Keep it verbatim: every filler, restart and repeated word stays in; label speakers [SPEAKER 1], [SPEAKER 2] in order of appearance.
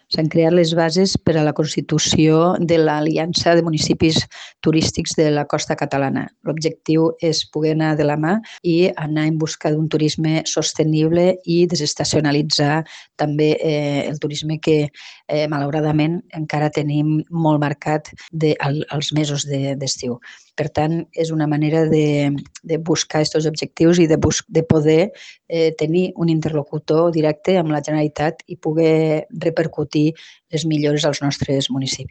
[SPEAKER 1] S'han creat les bases per a la constitució de l'Aliança de Municipis Turístics de la Costa Catalana. L'objectiu és poder anar de la mà i anar en busca d'un turisme sostenible i desestacionalitzar també eh, el turisme que eh, malauradament encara tenim molt marcat de, al, als mesos d'estiu. De, per tant, és una manera de, de buscar aquests objectius i de, bus de poder eh, tenir un interlocutor directe amb la Generalitat i poder repercutir les millores als nostres municipis.